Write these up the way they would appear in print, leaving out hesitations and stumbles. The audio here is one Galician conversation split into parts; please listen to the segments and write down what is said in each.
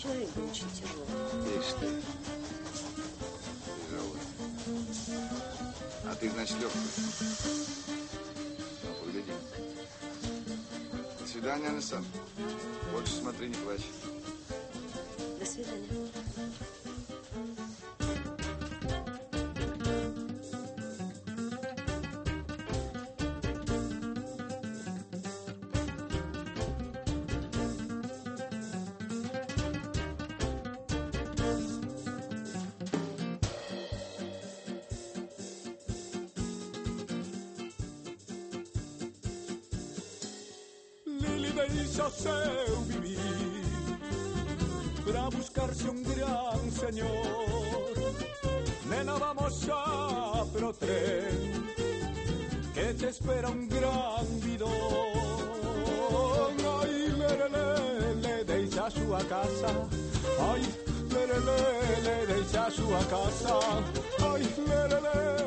чай учителю. Ишь ты. Тяжелый. А ты, значит, легкий. Ну, погляди. До свидания, Анасан. Больше смотри, не плачь. До свидания. Lili deixa o seu vivir para buscarse un gran señor. Nena, vamos xa pro tren que te espera un gran bidón. Ai, lerele, deixa a súa casa. Ai, lerele, deixa a súa casa. Ai, lerele.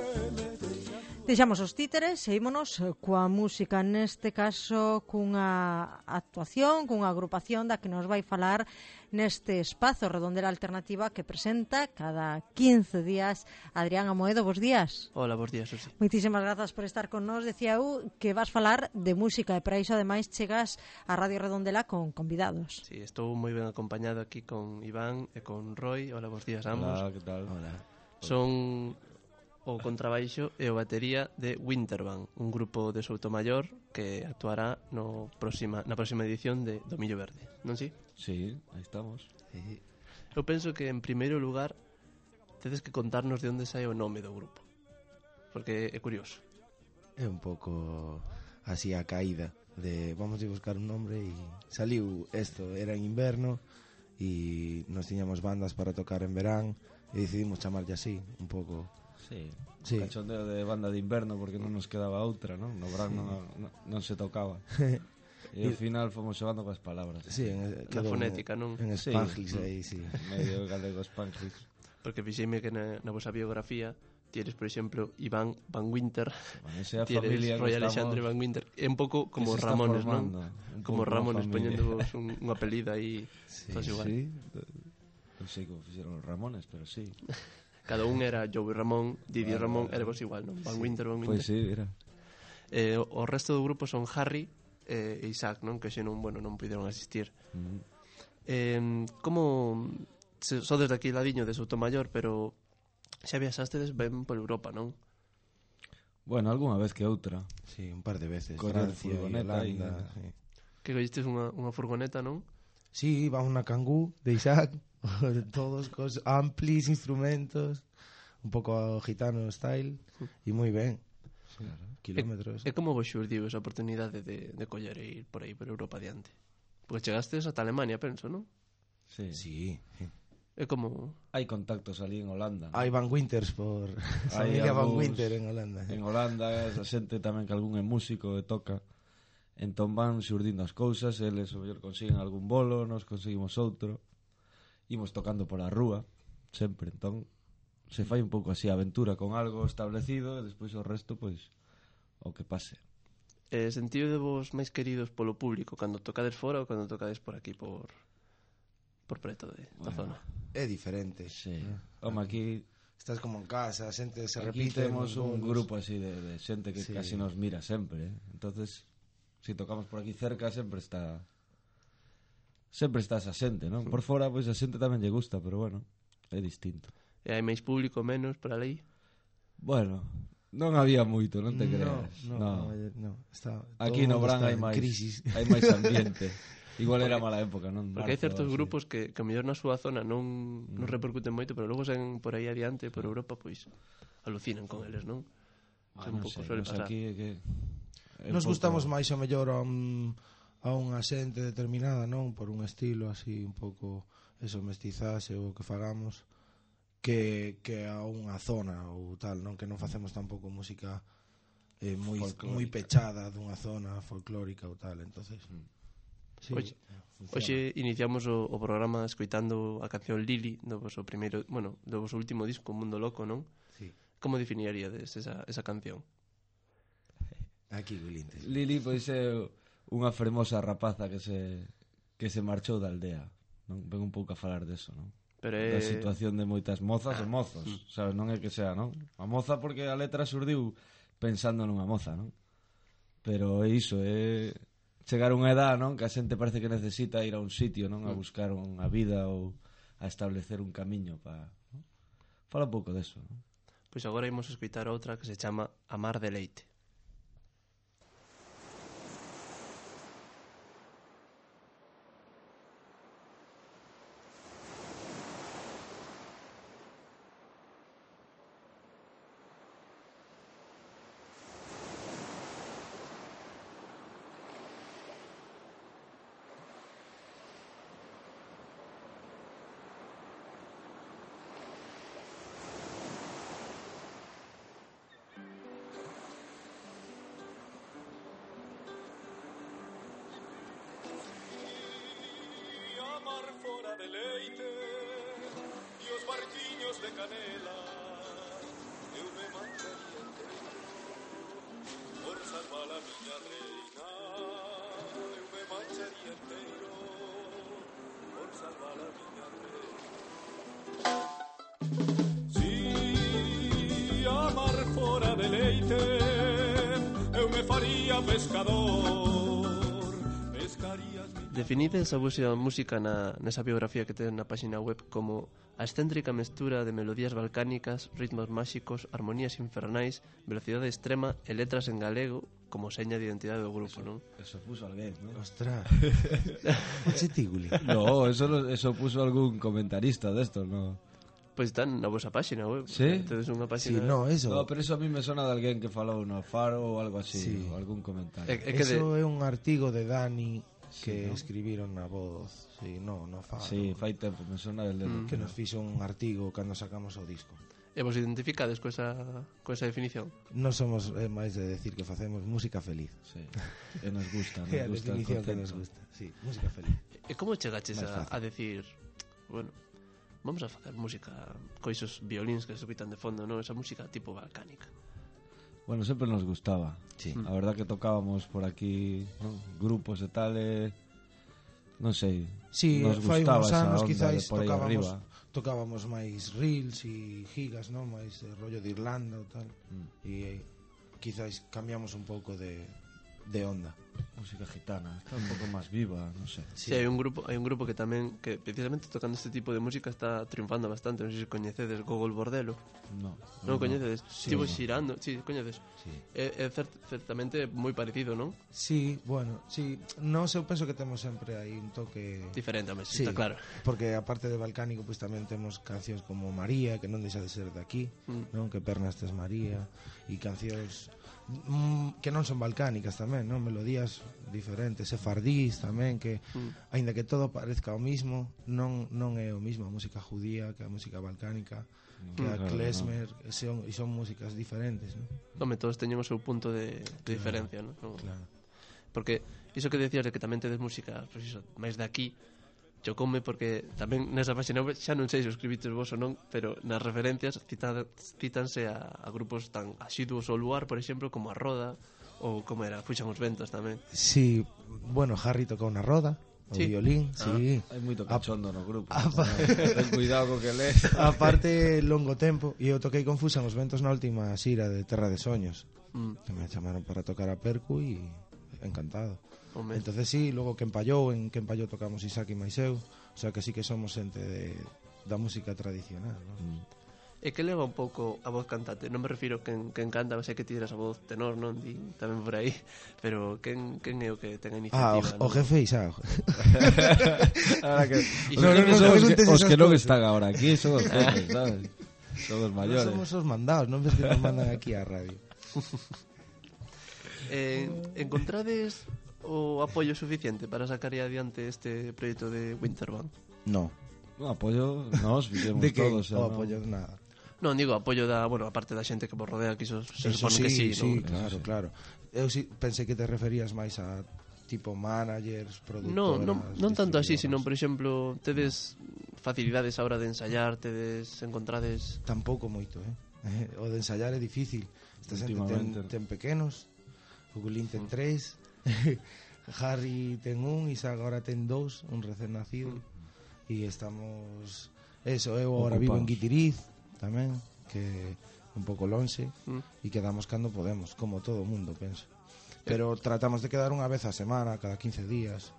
Deixamos os títeres e ímonos coa música, neste caso cunha actuación, cunha agrupación da que nos vai falar neste espazo Redondela Alternativa que presenta cada 15 días Adrián Amoedo. Bos días. Hola, bos días, Susi. Moitísimas grazas por estar con nós. Decía eu que vas falar de música e para iso ademais chegas a Radio Redondela con convidados. Sí, estou moi ben acompañado aquí con Iván e con Roy. Hola, bos días a ambos. Hola, que tal? Hola. Son o contrabaixo e o batería de Wintervan, un grupo de Soutomaior que actuará na próxima edición de do Millo Verde, non si? Sí, aí estamos. Sí. Eu penso que en primeiro lugar tedes que contarnos de onde sae o nome do grupo, porque é curioso. É un pouco así a caída de vamos a buscar un nombre e saliu esto, era en inverno e nos tiñamos bandas para tocar en verán e decidimos chamarlle así, un pouco. Sí, Sí. cachondeo de banda de inverno porque non nos quedaba outra, non? No verán non se tocaba. E ao final fomos xogando coas palabras. Sí, Na fonética, non? En Sí. Spanglish aí, sí. Medio galego Spanglish. Porque fixeime que na vosa biografía tienes, por exemplo, Iván Van Winter, Bueno, esa é a tienes familia Roy que Alexandre Van Winter, é un pouco como que se está Ramones, non? formando, un Como pouco Ramones, unha familia. poñéndovos un apelido aí, Sí, todos igual. Sí, non sei como fixeron os Ramones, pero sí. Cada un era Joey Ramón, Didi Ramón, era vos igual, non? Van Winter, Van Winter. Pois sí, era. O resto do grupo son Harry e Isaac, non? Que xe non puderon asistir. Como sodes daqui ladiño de Soutomaior, pero xa viaxastedes ben por Europa, non? Bueno, algunha vez que outra. Sí, un par de veces. Correr Francia, furgoneta Irlanda, sí. Que collistes unha furgoneta, non? Sí, iba unha Kangoo de Isaac, todos cos amplis instrumentos, un pouco gitano style, e moi ben. Sí, kilómetros. E como vos xurdiu esa oportunidade de coller e ir por aí, por Europa adiante? Porque chegastes ata Alemania, penso, non? Sí. Sí. É como... Hai contactos ali en Holanda. Hai Van Winters por Hai familia Van algúns Winter en Holanda. En Holanda, a xente tamén que algún é músico e toca. Entón van xurdindo as cousas, eles o mellor consiguen algún bolo, nos conseguimos outro. Imos tocando pola rúa, sempre. Entón, se fai un pouco así a aventura con algo establecido e despois o resto, pois, o que pase. Sentido de vos máis queridos polo público cando tocades fora ou cando tocades por aquí, por preto da zona? É diferente. Sí. Home, aquí estás como en casa, a xente se aquí repite. temos un grupo así de xente que sí, casi nos mira sempre, entonces si tocamos por aquí cerca sempre está esa xente, non? Por fora, pois a xente tamén lle gusta, pero bueno, é distinto. E hai máis público, menos, por ali? Bueno, non había moito, non te creas. No. Está, aquí no Bran hai máis crisis. Hai máis ambiente. Igual era mala época, non? Porque hai certos grupos que a mellor na súa zona non repercuten moito, pero logo sen por aí adiante, por Europa, pois alucinan con eles, non? Un pouco suele pasar. Aquí que nos gustamos máis o mellor a unha xente determinada, non? Por un estilo así un pouco eso, mestizaxe ou que fagamos que a unha zona ou tal, non? Que non facemos tampouco música moi pechada dunha zona folclórica ou tal, entonces sí, hoxe iniciamos o programa escoitando a canción Lili do voso primeiro, bueno, do voso último disco Mundo Loco, non? Sí. Como definiríades esa canción? Aquí Gulintes. Lili pois é unha fermosa rapaza que se marchou da aldea non? Ven un pouco a falar deso, non? Pero Da situación de moitas mozas e mozos, sabes, non é que sea, non? A moza porque a letra surdiu pensando nunha moza, non? Pero é iso, é chegar a unha edad, non? Que a xente parece que necesita ir a un sitio, non? A buscar unha vida ou a establecer un camiño para, non? Fala un pouco deso, non? Pois agora imos escoitar outra que se chama Amar de Leite. Amar fora de leite e os barquiños de canela, eu me mancharía inteiro por salvar a miña reina, eu me mancharía inteiro por salvar a miña reina. Si amar fora de leite, eu me faría pescador, pescaría as miñas. Definides a vosa música nesa biografía que ten na página web como a excéntrica mestura de melodías balcánicas, ritmos máxicos, armonías infernais, velocidade extrema e letras en galego como seña de identidade do grupo, non? Eso puso alguén, non? Ostras. Chetiguli. No, eso puso algún comentarista destos, no? Pois están na vosa página web. Sí? Tedes unha Sí, página... no, eso. No, pero eso a mí me sona de alguén que falou no Faro ou algo así, Sí. ou algún comentario. É que Eso é un artigo de Dani que ¿no? escribiron na Voz. Sí, no Faro. Sí, fai tempo, me sona del dedo. Que nos fixo un artigo cando sacamos o disco. E vos identificades co esa definición? Non somos máis de decir que facemos música feliz. Sí. E nos gusta, É a nos gusta el definición que concepto. nos gusta. Sí, música feliz. E como chegaches Máis fácil. a decir, bueno, vamos a facer música coisos violíns que se escutan de fondo, non? Esa música tipo balcánica. Bueno, sempre nos gustaba. Sí. A verdad que tocábamos por aquí, ¿no? Grupos e tal, non sei. Sí, nos fai gustaba uns esa anos onda de quizáis por aí arriba. tocábamos máis reels e gigas, non? Máis rollo de Irlanda ou tal. E quizáis cambiamos un pouco de onda. Música gitana, está un pouco máis viva, non sei. Sí, hai un grupo que tamén que precisamente tocando este tipo de música está triunfando bastante, non sei se coñecedes Gogol Bordelo. No, Non coñecedes? Sí, Estivo no. xirando, sí, coñeces. Sí. É certamente moi parecido, non? Sí, bueno, sí, nós eu penso que temos sempre aí un toque Diferente, home, sí, está claro. porque aparte de balcánico pois tamén temos cancións como María, que non deixa de ser de aquí, non? Que Pernas tes María, e cancións que non son balcánicas tamén, non? Melodías diferentes, sefardís tamén, que aínda que todo parezca o mismo, non é o mismo a música judía que a música balcánica, que a Claro, klezmer, e son músicas diferentes, non? Home, todos teñen o seu punto de diferencia, non? Claro. Porque iso que decías de que tamén tedes música, pois iso, máis de aquí, chocoume porque tamén nesa página web xa non sei se o escribites vos ou non, pero nas referencias cítanse a grupos tan asiduos ao lugar, por exemplo, como a Roda ou como era, Fuxan os Ventos tamén. Sí, bueno, Harry tocou na roda, o Sí. violín, sí. Hai moito cachondo no grupo. Ten cuidado co que lees. Aparte, longo tempo, e eu toquei con Fuxan os Ventos na última xira de Terra de Soños. Que me chamaron para tocar a percu e encantado. Home, Entonces sí, logo que empallou tocamos Isaac e Maiseu, o sea que sí que somos xente da música tradicional, ¿no? e que leva un pouco a voz cantante? Non me refiro quen canta, sei que tiras a voz tenor, non? Di tamén por aí, pero quen é o que ten a iniciativa? O jefe Isaac. Ahora que No, no, no, son preguntes os esas que non cosas. están agora aquí, son os jefes, sabes? Son os Non maiores. somos os mandados, non ves que nos mandan aquí á radio. Encontrades o apoio suficiente para sacar adiante este proxecto de Winterband? No. No, apoyo, nos fixemos De que todos. o apoio nada. Non, digo, apoio da, bueno, aparte da xente que vos rodea, que iso se Eso supone que sí, sí, non? claro. Eu sí, pensei que te referías máis a tipo managers, No, productoras. non tanto así, distribuidoras. sino, por exemplo, tedes facilidades a hora de ensayar, tedes encontrades... Tampouco moito, O de ensayar é difícil. Esta xente Últimamente. ten pequenos, o Gulín ten 3, Harry ten 1, Isaac agora ten 2, un recén nacido. E estamos... Eso, eu agora vivo en Ocupados. Guitiriz tamén, que é un pouco lonxe, e quedamos cando podemos, como todo o mundo, penso. Pero tratamos de quedar unha vez a semana, cada 15 días.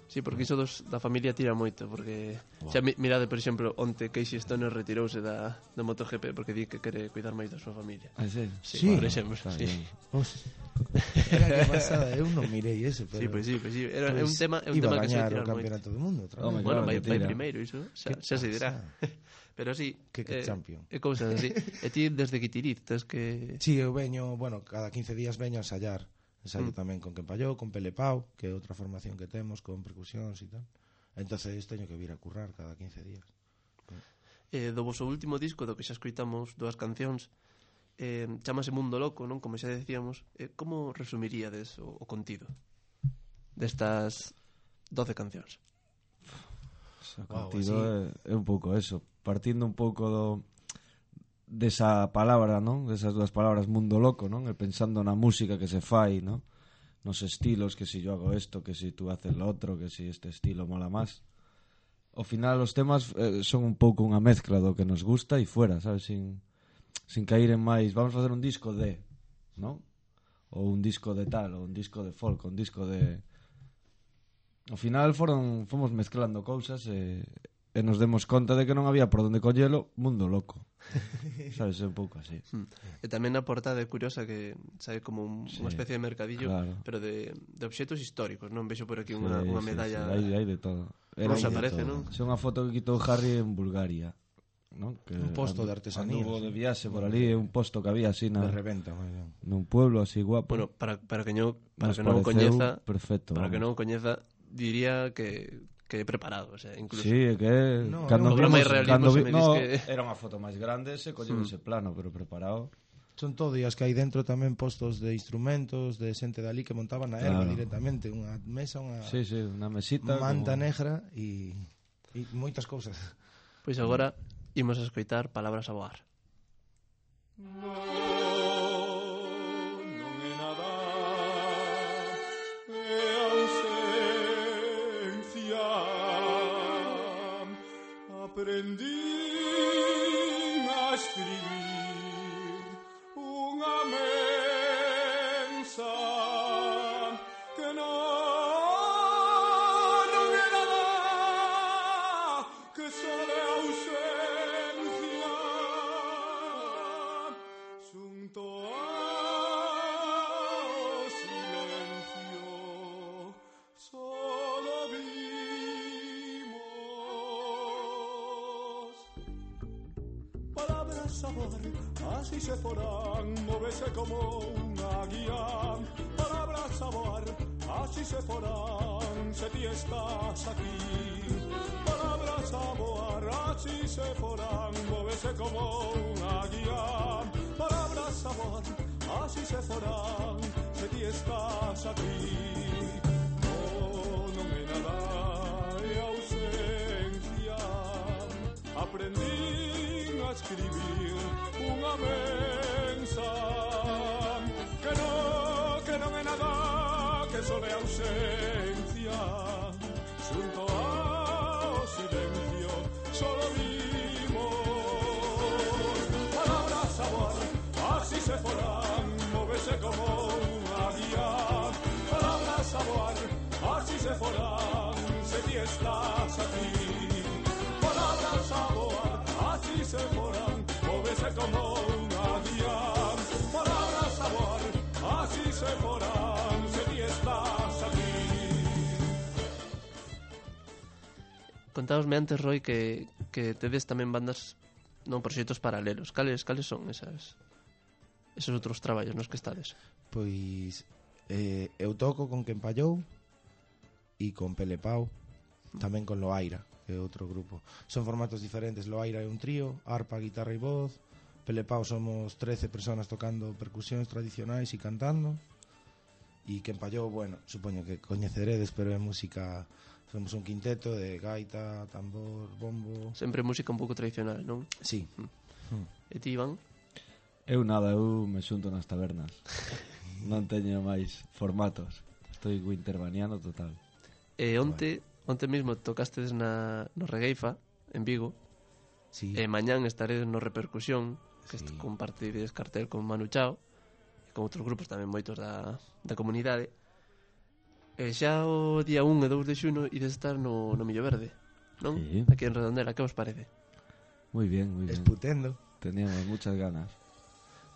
Sí, porque iso da familia tira moito, porque xa mirade, por exemplo, onte Casey Stoner retirouse da MotoGP porque di que quere cuidar máis da súa familia. Ah, sí? Sí. Por exemplo, Está sí. bien. Era que pasada, eu non mirei ese, pero... Sí, pues sí. Era un Pois tema, iba a que se gañar tirar o moito. campeonato do mundo outra Home, vez. Bueno, claro, vai que tira. primeiro, iso xa se dirá. Pero sí, Que champion. E cousas así. E ti desde Guitiriz, tes que... Sí, eu veño, bueno, cada 15 días veño a ensayar. Ensayo tamén con Quempalló, con Pelepau, que é outra formación que temos, con percusións e tal. Entonces teño que vir a currar cada 15 días. Do voso último disco, do que xa escoitamos 2 cancións, chamase Mundo Loco, non? Como xa decíamos, como resumiríades o contido destas 12 cancións? O contido é un pouco eso, partindo un pouco desa palabra, non? Desas dúas palabras, mundo loco, non? E pensando na música que se fai, non? Nos estilos, que si yo hago esto, que si tú haces lo otro, que si este estilo mola más. Ao final os temas son un pouco unha mezcla do que nos gusta e fuera, sabes? Sin cair en máis, vamos a facer un disco de, non? Ou un disco de tal, ou un disco de folk, ou un disco de... Ao final fomos mezclando cousas e nos demos conta de que non había por onde collelo, mundo loco. Sabes, é un pouco así. E tamén na portada é curiosa que sabe como unha especie de mercadillo, claro. pero de obxetos históricos, non? Vexo por aquí unha medalla. Sí, hai de todo. Rosa parece, non? É unha foto que quitou Harry en Bulgaria, non? Que Un posto de artesanía. Anduvo de viaxe por ali, un posto que había así De reventa, moi ben. nun pueblo así guapo. Bueno, para que non Nos o pareceu coñeza, perfecto, para que vamos. non o coñeza, diría que é preparado, o sea, incluso. Sí, é que No, cando no, vimos, máis realismo cando se me dis no, que- era unha foto máis grande, se colleu ese plano, pero preparado. Son todo, e as que hai dentro tamén postos de instrumentos, de xente dali que montaban na erva Claro. directamente, unha mesa, unha Sí, unha mesita manta como... negra e moitas cousas. Pois agora imos a escoitar Palabras a voar. Non é nada, é ausencia. Aprendí a escribir unha mensa que non é nada, que só é ausencia. Xunto ao silencio solo vimos palabras sabor, así se forán, móvese como unha guía. Palabras sabor, así se forán, se ti estás aquí. Palabras sabor, así se forán, móvese como unha guía. Palabras sabor, así se forán, se ti estás aquí. Non é nada, é ausencia. Aprendí a escribir unha mensa que non é nada, que só é ausencia. Xunto ao silencio solo vimos palabras sabor, así se forán, móvese como unha guía. Palabras sabor, así se forán, se ti estás aquí. Palabras sabor, así se forán, móvese como unha guía. Palabras sabor, así se forán, se ti estás aquí. Contábasme antes, Roy, que tedes tamén bandas, non, proxectos paralelos. Cales son esos outros traballos nos que estades? Pois eu toco con Quempallou e con Pelepau, tamén con Loaira, que é outro grupo. Son formatos diferentes. Loaira é un trío, arpa, guitarra e voz. Pelepau somos 13 personas tocando percusións tradicionais e cantando. E Quempallou, bueno, supoño que coñeceredes, pero é música. Somos un quinteto de gaita, tambor, bombo. Sempre música un pouco tradicional, non? Sí. E ti, Iván? Eu nada, eu me xunto nas tabernas. Non teño máis formatos. Estou winterbaniano total. E onte onte mesmo tocastes no Regueifa, en Vigo, Sí. e mañán estaredes no Repercusión, que compartides cartel con Manu Chao, e con outros grupos tamén moitos da comunidade. E xa o día 1 e 2 de xuno ides estar no Millo Verde, non? Sí. Aquí en Redondela, que vos parece? Muy bien, muy bien. Esputendo. Teníamos muchas ganas.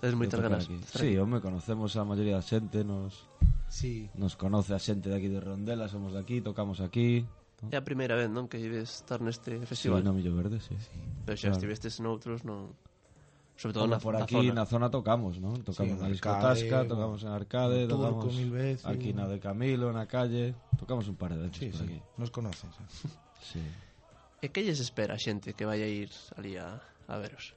Tedes moitas de tocar ganas. aquí. de estar Sí, aquí. home, conocemos a maioría da xente, nos conoce a xente de aquí de Redondela, somos de aquí, tocamos aquí. É a primeira vez, non, que ides estar neste Sí, festival. no Millo Verde, sí. Pero xa Claro. estivestes noutros, non... Sobre todo Home, na, por na aquí zona. na zona tocamos, ¿no? Tocamos en na Arcade, discotasca, tocamos en Arcade, no Turco tocamos mil veces. aquí na de Camilo, na calle, tocamos un par de veces por aquí. Nos conoces. Sí. E que lles espera a xente que vai a ir ali a veros?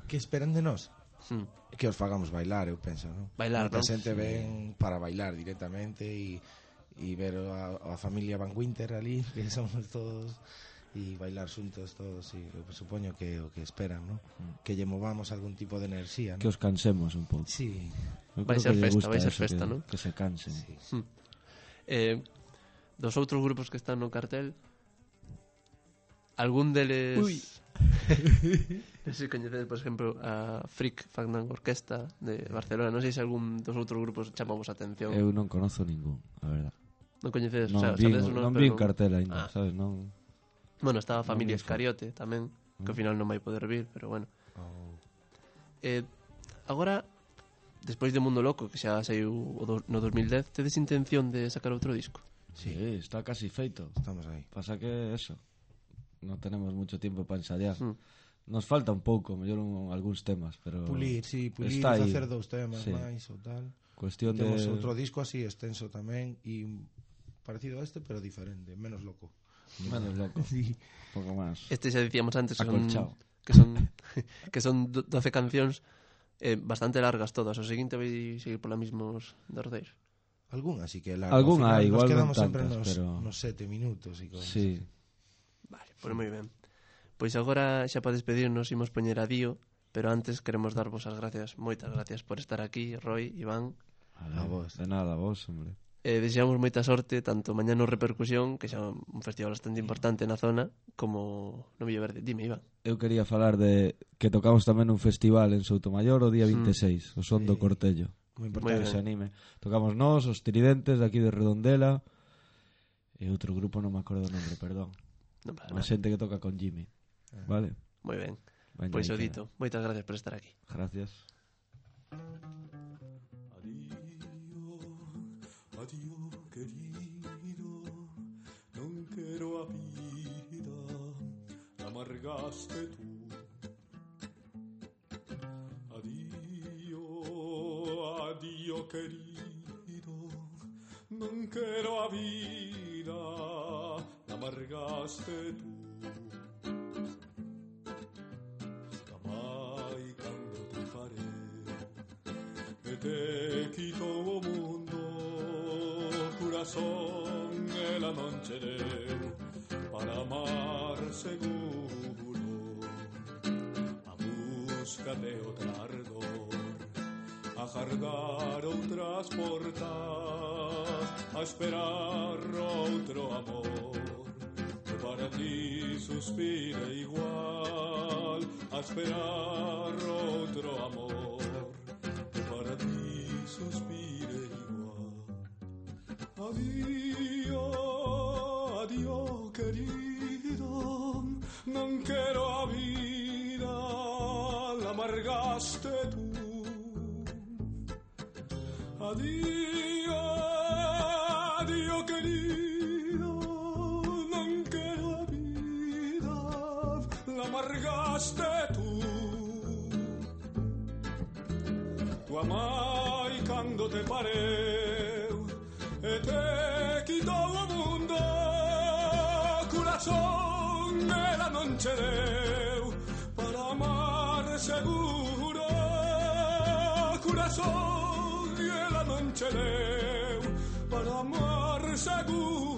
Que esperan de nós? Hmm. Que os fagamos bailar, eu penso, non? Bailar, Moita non? xente ven para bailar directamente e ver a familia Van Winter ali, que somos todos, e bailar xuntos todos, e eu supoño que o que esperan, non? Que lle movamos algún tipo de enerxía, non? Que os cansemos un pouco. Sí. Eu Vai creo ser que lle festa, gusta vai ser eso, festa, que, non? Que se cansen. Sí. Dos outros grupos que están no cartel, algún deles... Ui. Non sei se coñecedes, por exemplo, a Freak Fandango Orquesta de Barcelona. Non sei se algún dos outros grupos chamamos a atención. Eu non conozo ningún, a verdad. Non coñecedes, Non o sea, vi, sabedes o non pero vi en cartel ainda, Ah. sabes? Non. Bueno, estaba a familia Non vi Escariote tamén, que ao final non vai poder vir, pero bueno. Oh. Agora, despois de Mundo Loco, que xa saiu no 2010, tedes intención de sacar outro disco? Sí, está casi feito. Estamos aí. Pasa que eso, non tenemos mucho tiempo para ensayar. Mm. Nos falta un pouco, mellor algúns temas, pero Pulir, sí, pulir, está aí. facer 2 temas Sí. máis ou tal. Cuestión Temos de outro disco así extenso tamén e parecido a este, pero diferente, menos loco. menos loco, Sí. un pouco máis. Este xa dicíamos antes Acolchado. que son 12 cancións bastante largas todas. O seguinte vai seguir pola mismos derrodeiros. Algún así que largo. Algún Al final hai, igual nos non quedamos sempre tantas, nos, pero nos 7 minutos e cosas. Sí. Vale, pois moi ben. Pois agora xa para despedirnos imos poñer a Dio, pero antes queremos darvos as gracias, moitas gracias por estar aquí, Roy, Iván. A vos. De nada, a vos, hombre. Deseamos moita sorte tanto mañá no Repercusión, que xa é un festival bastante importante na zona, como no Millo Verde. Dime, Iván. Eu quería falar de que tocamos tamén un festival en Soutomaior o día 26, o Son do Cortello. Moi Moi Para importante. que se anime. Tocamos nós, os Tridentes de aquí de Redondela, e outro grupo non me acordo o nombre, perdón. Non pasa A nada. xente que toca con Jimmy. Vale? Moi ben. Veña, Pois aí o queda. dito. Moitas gracias por estar aquí. Gracias. Adiós, querido, non quero a vida, la amargaste tú. Adiós, querido, non quero a vida, la amargaste tú. Mai cando te faré e te quito o mundo, corazón e la non ce deu para amar seguro, a busca de outra ardor, a jardar outras portas, a esperar outro amor, que para ti suspire igual, a esperar outro amor, que para ti suspire igual. Adiós, adiós, querido, non quero a vida, la amargaste tú. Adiós, adiós, querido, non quero a vida, la amargaste tú. Tu amai cando te pareu e te quitou o mundo, corazón ela non che deu para amar seguro, corazón ela non che deu para amar seguro.